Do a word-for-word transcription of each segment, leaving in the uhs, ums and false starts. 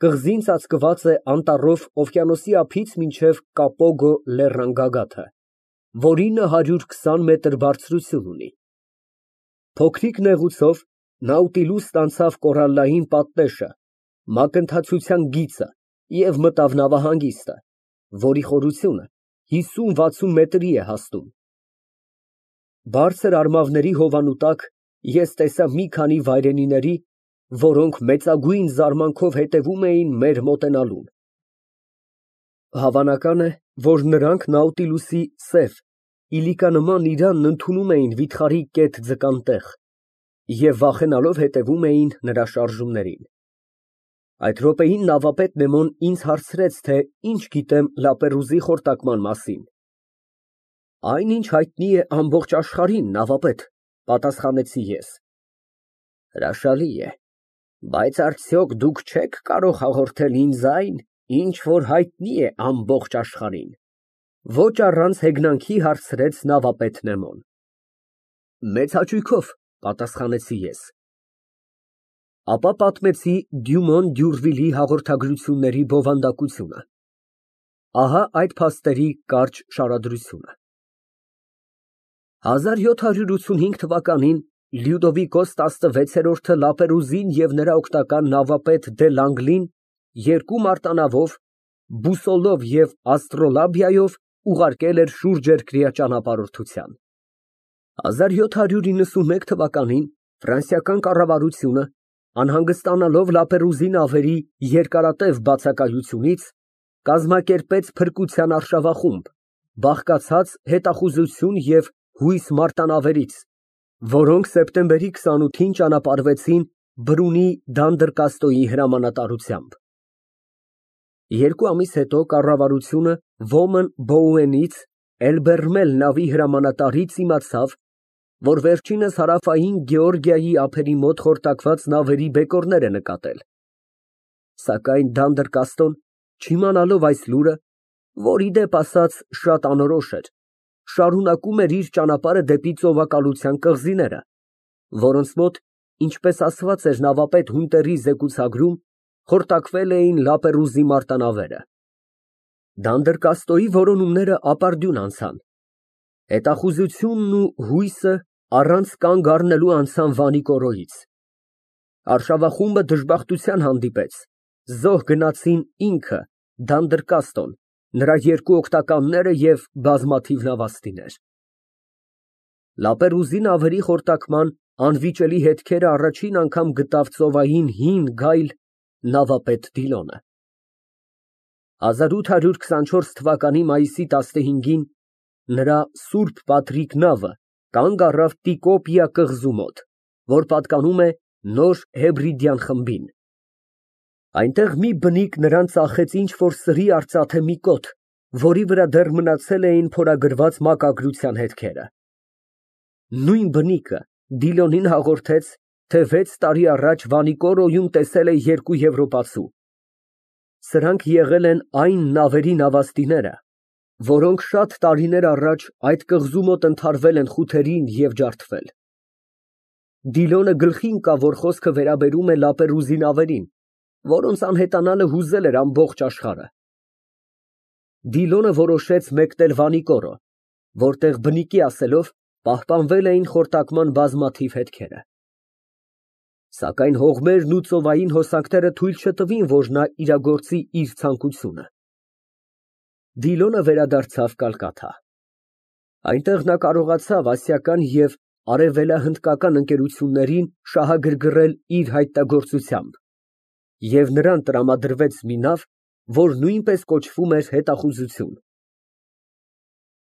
Կղզին ծածկված է անտառով օվկիանոսի ափից մինչև Կապոգո լեռան գագաթը, որինը հարյուր քսան մետր բարձրություն ունի։ Փոքրիկ նեղուցով Նաուտիլուսն անցավ կորալլային պատնեշը, մակընթացության գիծը և մտավ նավահանգիստը, որի խորությունը հիսուն վաթսուն մետրի է հասնում։ Բարձր արմավների հովանու տակ ես տեսա մի քանի վայրենիների, որոնք մեծագույն զարմանքով հետևում էին մեր մոտենալուն։ Հավանական է, որ նրանք Նաուտիլուսի սև, իլիկանման իրանն ընդունում էին վիթխարի կետ ձկան տեղ և վախենալով հետևում էին նրա շարժումներին։ Այդ րոպեին նավապետ Նեմոն ինձ հարցրեց, թե ինչ գիտեմ Լապերուզի խորտակման մասին։ Այն, ինչ հայտնի է ամբողջ աշխարհին, նավապետ, պատասխանեցի ես։ Հրաշալի է, բայց արդյոք դուք չեք կարող հաղորդել ինձ այն, ինչ որ հայտնի է ամբողջ աշխարհին։ Ոչ առանց հեգնանքի հարցրեց նավապետ Նեմոն։ Մեծ հաճույքով, պատասխանեցի ես։ Ապա պատմեցի Դյումոն Դյուրվիլի հաղորդագրությունների բովանդակությունը։ Ահա այդ փաստերի կարճ շարադրությունը։ հազար յոթ հարյուր ութսունհինգ թվականին Լյուդովիկոս տասնվեցերորդը Լապերուզին և նրա օգնական նավապետ դե Լանգլին երկու մարտանավով, բուսոլով և աստրոլաբիայով ուղարկել էր շուրջերկրյա ճանապարհորդության։ հազար յոթ հարյուր իննսունմեկ թվականին ֆրանսիական կառավարությունը, անհանգստանալով Լապերուզի նավերի երկարատև բացակայությունից, կազմակերպեց փրկության արշավախումբ, բաղկացած հետախուզություն և հույս մարտանավերից, որոնք սեպտեմբերի քսանութին ճանապարհվեցին Բրունի Դանդրկաստոյի հրամանատարությամբ։ Երկու ամիս հետո կառավարությունը Ոմն Բոուենից, Էլբերմել նավի հրամանատարից իմացավ, որ վերջինս Հարավային Գեորգիայի ափերի մոտ խորտակված նավերի բեկորներ է նկատել։ Սակայն Դանդրկաստոն, չիմանալով այս լուրը, որ, ի դեպ ասած, շատ անորոշ էր, շարունակում էր իր ճանապարհը դեպի ծովակալության կղզիները, որոնց մոտ, ինչպես ասված էր նավապետ Հունտերի զեկուցագրում, խորտակվել էին Լապերուզի մարտանավերը։ Դանդրկաստոյի որոնումները ապարդյուն անցան։ Հետախուզությունն ու հույսը առանց կանգ առնելու անցան Վանիկորոյից։ Արշավախումբը դժբախտության հանդիպեց, զոհ գնացին ինքը, Դանդրկաստոն, նրա երկու օգնականները և բազմաթիվ նավաստիներ։ Լապերուզի նավերի խորտակման անվիճելի հետքերը առաջին անգամ գտավ ծովային հին գայլ նավապետ Դիլոնը։ հազար ութ հարյուր քսանչորս թվականի մայիսի տասնհինգին նրա Սուրբ Պատրիկ նավը կանգ առավ Տիկոպիա կղզու մոտ, որ պատկանում է Նոր Հեբրիդյան խմբին։ Այնտեղ մի բնիկ նրան ծախեց ինչ֊որ սրի արծաթե մի կոթ, որի վրա դեռ մնացել էին փորագրված մակագրության հետքերը։ Նույն բնիկը Դիլոնին հաղորդեց, թե վեց տարի առաջ Վանիկորոյում տեսել է երկու եվրոպացու։ Սրանք եղել են այն նավերի նավաստիները, որոնք շատ տարիներ առաջ այդ կղզու մոտ ընդհարվել են խութերին և ջարդվել։ Դիլոնը գլխի ընկավ, որ խոսքը վերաբերում է Լապերուզի նավերին, որոնց անհետանալը հուզել էր ամբողջ աշխարհը։ Դիլոնը որոշեց մեկնել Վանիկորո, որտեղ բնիկի ասելով պահպանվել էին խորտակման բազմաթիվ հետքերը։ Սակայն հողմերն ու ծովային հոսանքները թույլ չտվին, որ նա իրագործի իր ցանկությունը։ Դիլոնը վերադարձավ Կալկաթա։ Այնտեղ նա կարողացավ ասիական և արևելահնդկական ընկերություններին շահագրգռել իր հայտնագործությամբ, և նրան տրամադրվեց մի նավ, որ նույնպես կոչվում էր հետախուզություն։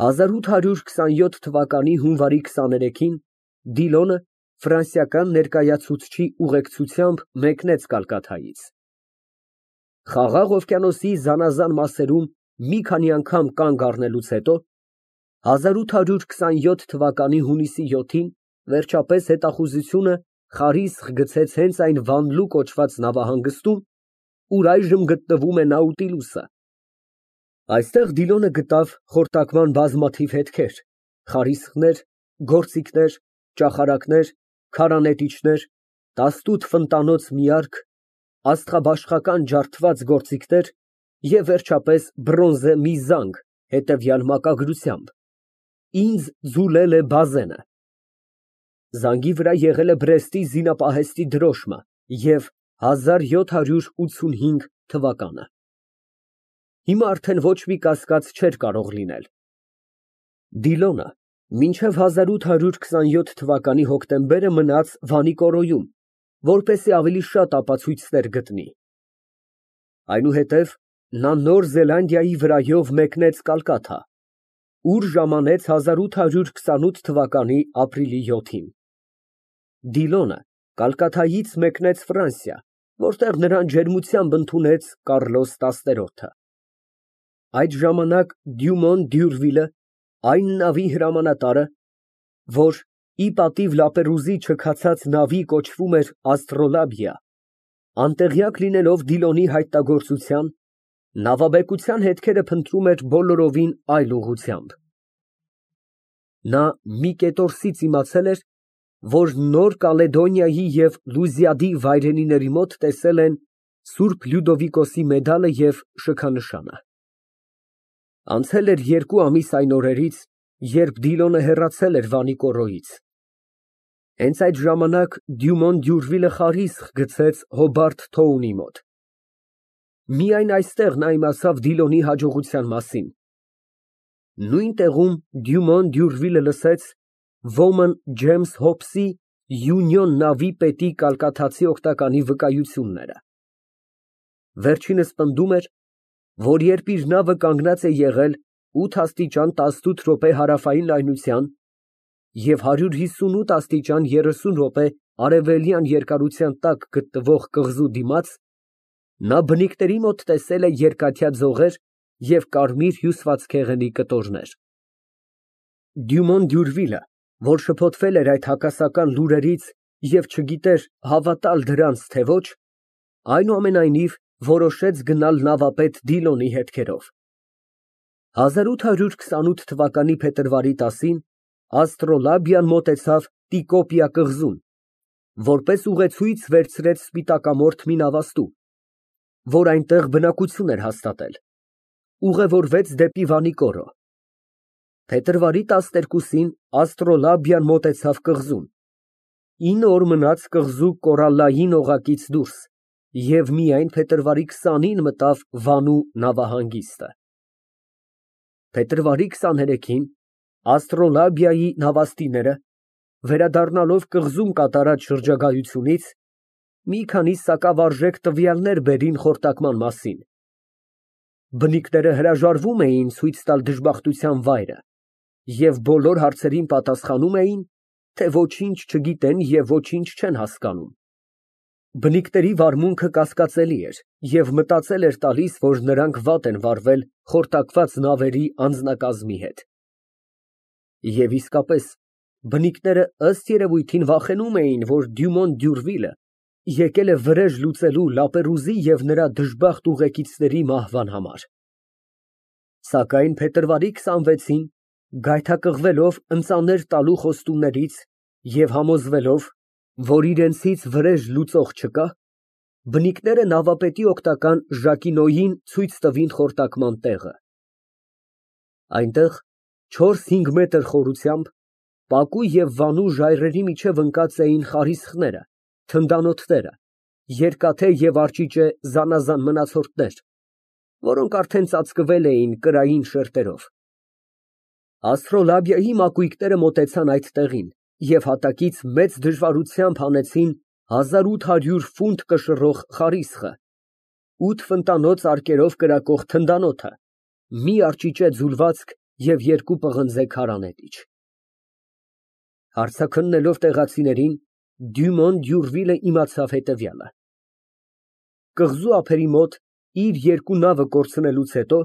հազար ութ հարյուր քսանյոթ թվականի հունվարի քսաներեքին Դիլոնը ֆրանսիական ներկայացուցչի ուղեկցությամբ մեկնեց Կալկաթայից։ Խաղաղ օվկիանոսի զանազան մասերում մի քանի անգամ կանգ առնելուց հետո հազար ութ հարյուր քսանյոթ թվականի հունիսի յոթին վերջապես հետախուզությունը խարիսխ գցեց հենց այն Վանլու կոչված նավահանգստում, ուր այժմ գտնվում է Նաուտիլուսը։ Այստեղ Դիլոնը գտավ խորտակման բազմաթիվ հետքեր, խարիսխներ, գործիքներ, ճախարակներ, քարանետիչներ, տասնութ ֆնտանոց մի արք, աստղաբաշխական ջարդված գործիքներ և, վերջապես, բրոնզե մի զանգ հետևյալ մակագրությամբ. «Ինձ ձուլել է Բազենը»։ Զանգի վրա եղել է Բրեստի զինապահեստի դրոշմը և հազար յոթ հարյուր ութսունհինգ թվականը։ Հիմա արդեն ոչ մի կասկած չէր կարող լինել։ Դիլոնը մինչև հազար ութ հարյուր քսանյոթ թվականի հոկտեմբերը մնաց Վանիկորոյում, որպեսզի ավելի շատ ապացույցներ գտնի։ Այնուհետև նա Նոր Զելանդիայի վրայով մեկնեց Կալկաթա, ուր ժամանեց հազար ութ հարյուր քսանութ թվականի ապրիլի յոթին։ Դիլոնը Կալկաթայից մեկնեց Ֆրանսիա, որտեղ նրան ջերմությամբ ընդունեց Կառլոս տասներորդը։ Այդ ժամանակ Դյումոն Դյուրվիլը, այն նավի հրամանատարը, որ ի պատիվ Լապերուզի չքացած նավի կոչվում էր Աստրոլաբիա, անտեղյակ լինելով Դիլոնի հայտնագործության, նավաբեկության հետքերը փնտրում էր բոլորովին այլ ուղղությամբ։ Նա մի կետորսից իմացել էր, որ Նոր Կալեդոնիայի և Լուզիադի վայրենիների մոտ տեսել են Սուրբ Լյուդովիկոսի մեդալը և շքանշանը։ Անցել էր երկու ամիս այն օրերից, երբ Դիլոնը հեռացել էր Վանիկորոյից։ Հենց այդ ժամանակ Դյումոն Դյուրվիլը խարիսխ գցեց Հոբարտ Թոունի մոտ։ Միայն այստեղ նա իմացավ Դիլոնի հաջողության մասին։ Նույն տեղում Դյումոն Դյուրվիլը լսեց ոմն Ջեյմս Հոբսի Յունիոն նավի պետի կալկաթացի օգնականի վկայությունները։ Վերջինս պնդում էր, որ երբ իր նավը կանգնած է եղել ութ աստիճան տասնութ րոպե հարավային լայնության և հարյուր հիսունութ աստիճան երեսուն րոպե արևելյան երկարության տակ գտնվող կղզու դիմաց, նա բնիկների մոտ տեսել է երկաթյա ձողեր և կարմիր հյուսվածքեղենի կտորներ։ Դյումոն Դյուրվիլը, որ շփոթվել էր այդ հակասական լուրերից և չգիտեր հավատալ դրանց, թե ոչ, այնուամենայնիվ որոշեց գնալ նավապետ Դիլոնի հետքերով։ հազար ութ հարյուր քսանութ թվականի փետրվարի տասին Աստրոլաբիան մոտեցավ Տիկոպիա կղզուն, որպես ուղեցույց վերցրեց սպիտակամորթ մի նավաստու, որ այնտեղ բնակություն էր հաստատել, ուղևորվեց դեպի Վանիկորո։ Փետրվարի տասներկուսին Աստրոլաբիան մոտեցավ կղզուն, ինը օր մնաց կղզու կորալլային օղակից դուրս և միայն փետրվարի քսանին մտավ Վանու նավահանգիստը։ Փետրվարի քսաներեքին Աստրոլաբիայի նավաստիները, վերադառնալով կղզում կատարած շրջագայությունից, մի քանի սակավարժեք տվյալներ բերին խորտակման մասին։ Բնիկները հրաժարվում էին ցույց տալ դժբախտության վայրը և բոլոր հարցերին պատասխանում էին, թե ոչինչ չգիտեն և ոչինչ չեն հասկանում։ Բնիկների վարմունքը կասկածելի էր և մտածել էր տալիս, որ նրանք վատ են վարվել խորտակված նավերի անձնակազմի հետ։ Եվ իսկապես, բնիկները ըստ երևույթին վախենում էին, որ Դյումոն Դյուրվիլը եկել է վրեժ լուծելու Լապերուզի և նրա դժբախտ ուղեկիցների մահվան համար։ Սակայն փետրվարի քսանվեցին, գայթակղվելով ընծաներ տալու խոստումներից և համոզվելով, որ իրենցից վրեժ լուծող չկա, բնիկները նավապետի օգնական Ժակինոյին ցույց տվին խորտակման տեղը։ Այնտեղ չորս֊հինգ մետր խորությամբ, պակու և վանու ժայռերի միջև ընկած էին խարիսխները, թնդանոթները, երկաթե և արջիճե զանազան մնացորդներ, որոնք արդեն ծածկվել էին կրային շերտերով։ Աստրոլաբիայի մակույկները մոտեցան այդ տեղին և հատակից մեծ դժվարությամբ հանեցին հազար ութ հարյուր ֆունտ կշռող խարիսխը, ութ ֆնտանոց արկերով կրակող թնդանոթը, մի արջիճե ձուլվածք և երկու պղնձե քարանետիչ։ Հարցաքննելով տեղացիներին, Դյումոն Դյուրվիլը իմացավ հետևյալը. կղզու ափերի մոտ իր երկու նավը կորցնելուց հետո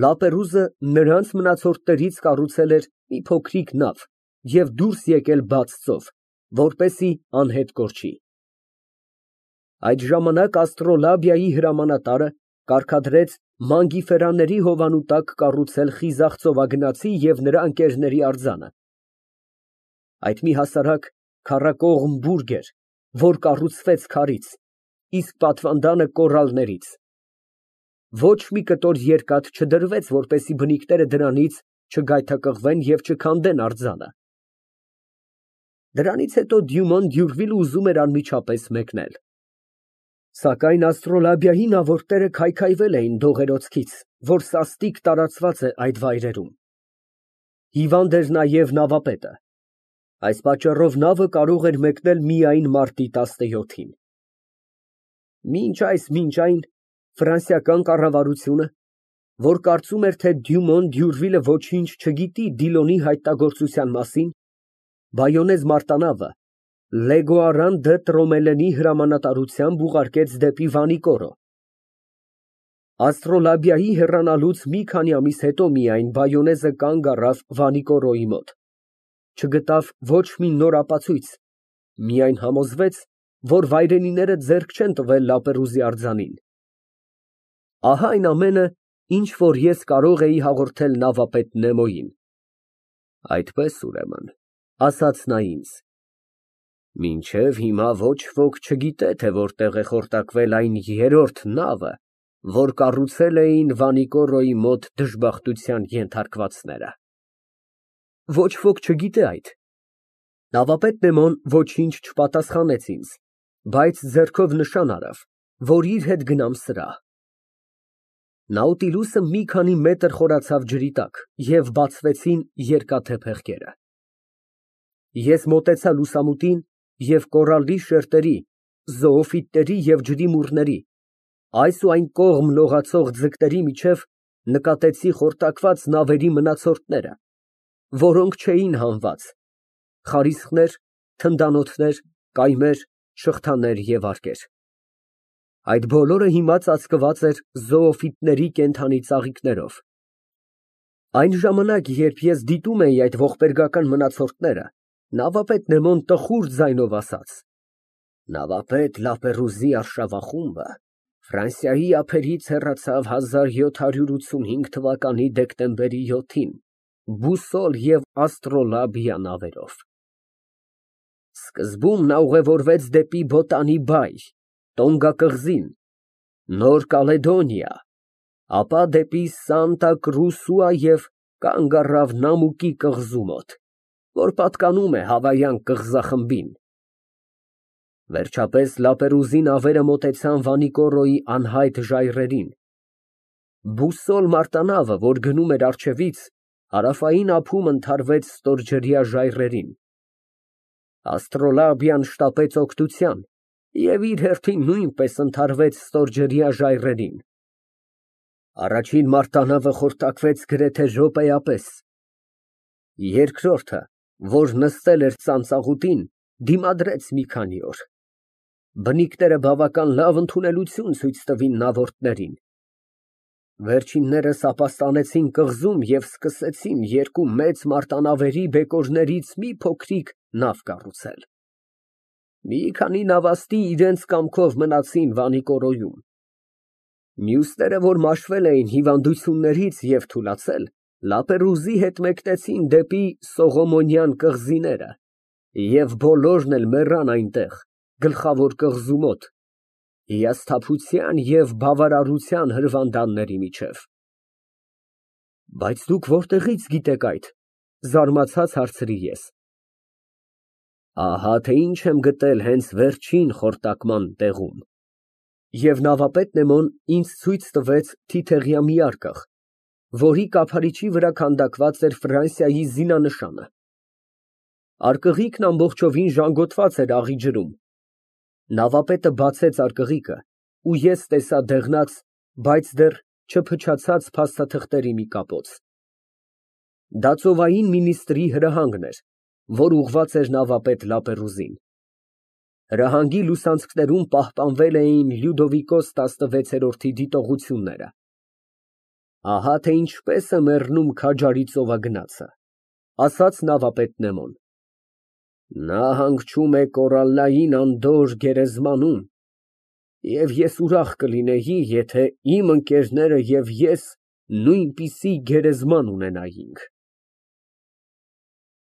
Լապերուզը նրանց մնացորդներից կառուցել էր մի փոքրիկ նավ և դուրս եկել բաց ծով, որպեսզի անհետ կորչի։ Այդ ժամանակ Աստրոլաբիայի հրամանատարը կարգադրեց Մանգիֆերաների հովանու տակ կառուցել խիզախ ծովագնացի և նրա ընկերների արձանը։ Այդ մի հասարակ քառակողմ բուրգ էր, որ կառուցվեց քարից, իսկ պատվանդանը կոռալներից։ Ոչ մի կտոր երկաթ չդրվեց, որպեսզի բնիկները դրանից չգայթակղվեն և չքանդեն արձանը։ Դրանից հետո Դյումոն Դյուրվիլը ուզում էր անմիջապես մեկնել։ Սակայն աստրոլաբիայի նավորդները քայքայվել էին դողերոցքից, որ սաստիկ տարածված է այդ վայրերում։ Հիվանդ էր նաև նավապետը։ Այս պատճառով նավը կարող էր մեկնել միայն մարտի տասնյոթին։ Մինչ այս, մինչ այն, ֆրանսիական կառավարությունը, որ կարծում էր, թե Դյումոն Դյուրվիլը ոչինչ չգիտի Դիլոնի հայտնագործության մասին, բայոնեզ մարտանավը Լեգոարան դը Տրոմելենի հրամանատարությամբ ուղարկեց դեպի Վանիկորո։ Աստրոլաբիայի հեռանալուց մի քանի ամիս հետո միայն բայոնեզը կանգ առավ Վանիկորոյի մոտ, չգտավ ոչ մի նոր ապացույց, միայն համոզվեց, որ վայրենիները ձեռք չեն տվել Լապերուզի արձանին։ Ահա այն ամենը, ինչ որ ես կարող էի հաղորդել նավապետ Նեմոյին։ Այդպես, ուրեմն, ասաց նա ինձ, մինչև հիմա ոչ ոք չգիտե, թե որտեղ է խորտակվել այն երրորդ նավը, որ կառուցել էին Վանիկորոյի մոտ դժբախտության ենթարկվածները։ Ոչ ոք չգիտե այդ։ Նավապետ Նեմոն ոչինչ չպատասխանեց ինձ, բայց ձեռքով նշան արավ, որ իր հետ գնամ սրահ։ Նաուտիլուսը մի քանի մետր խորացավ ջրի տակ և բացվեցին երկաթե փեղկերը։ Ես մոտեցա լուսամուտին և կորալի շերտերի, զոոֆիտների և ջրի մուրների, այս ու այն կողմ լողացող ձկների միջև նկատեցի խորտակված նավերի մնացորդները, որոնք չէին հանված, խարիսխներ, թնդանոթներ, կայմեր, շղթաներ և արկեր։ Այդ բոլորը հիմա ծածկված էր զոոֆիտների կենդանի ծաղիկներով։ Այն ժամանակ, երբ ես դիտում էի այդ ողբերգական մնացորդները, նավապետ Նեմոն տխուր ձայնով ասաց. Նավապետ Լապերուզի արշավախումբը Ֆրանսիայի ափերից հեռացավ հազար յոթ հարյուր ութսունհինգ թվականի դեկտեմբերի յոթին բուսոլ և աստրոլաբիա նավերով։ Սկզբում նա ուղևորվեց դեպի Բոտանի բայ, Տոնգա կղզին, Նոր Կալեդոնիա, ապա դեպի Սանտա Կրուսուա և կանգ առավ Նամուկի կղզու մոտ, որ պատկանում է Հավայան կղզախմբին։ Վերջապես Լապերուզի նավերը մոտեցան Վանիկորոյի անհայտ ժայռերին։ Բուսոլ մարտանավը, որ գնում էր առջևից, հարավային ափում ընդհարվեց ստորջրյա ժայռերին։ Աստրոլաբիան շտապեց օգնության և իր հերթին նույնպես ընդհարվեց ստորջրյա ժայռերին։ Առաջին մարտանավը խորտակվեց գրեթե րոպեապես։ Երկրորդը, որ նստել էր ծանծաղուտին, դիմադրեց մի քանի օր։ Բնիկները բավական լավ ընդունելություն ցույց տվին նավորդներին։ Վերջիններս ապաստանեցին կղզում և սկսեցին երկու մեծ մարտանավերի բեկորներից մի փոքրիկ նավ կառուցել։ Մի քանի նավաստի իրենց կամքով մնացին Վանիկորոյում։ Մյուսները, որ մաշվել էին հիվանդություններից և թուլացել, Լապերուզի հետ մեկնեցին դեպի Սողոմոնյան կղզիները և բոլորն էլ մեռան այնտեղ, գլխավոր կղզու մոտ, հիասթափության և բավարարության հրվանդանների միջև։ Բայց դուք որտեղի՞ց գիտեք այդ, զարմացած հարցրի ես։ Ահա թե ինչ եմ գտել հենց վերջին խորտակման տեղում։ Եվ նավապետ Նեմոն ինձ ցույց տվեց թիթեղյա մի արկղ, որի կափարիչի վրա քանդակված էր Ֆրանսիայի զինանշանը։ Արկղիկն ամբողջովին ժանգոտված էր աղի ջրում։ Նավապետը բացեց արկղիկը, ու ես տեսա դեղնած, բայց դեռ չփչացած փաստաթղթերի մի կապոց։ Դա ծովային մինիստրի հրահանգն էր, որ ուղղված էր նավապետ Լապերուզին։ Հրահանգի լուսանցքներում պահպանվել էին Լյուդովիկոս տասնվեցերորդի դիտողությունները։ Ահա թե ինչպես է մեռնում քաջարի ծովագնացը, ասաց նավապետ Նեմոն։ Նա հանգչում է կորալլային անդորր գերեզմանում, և ես ուրախ կլինեի, եթե իմ ընկերները և ես նույնպիսի գերեզման ունենայինք։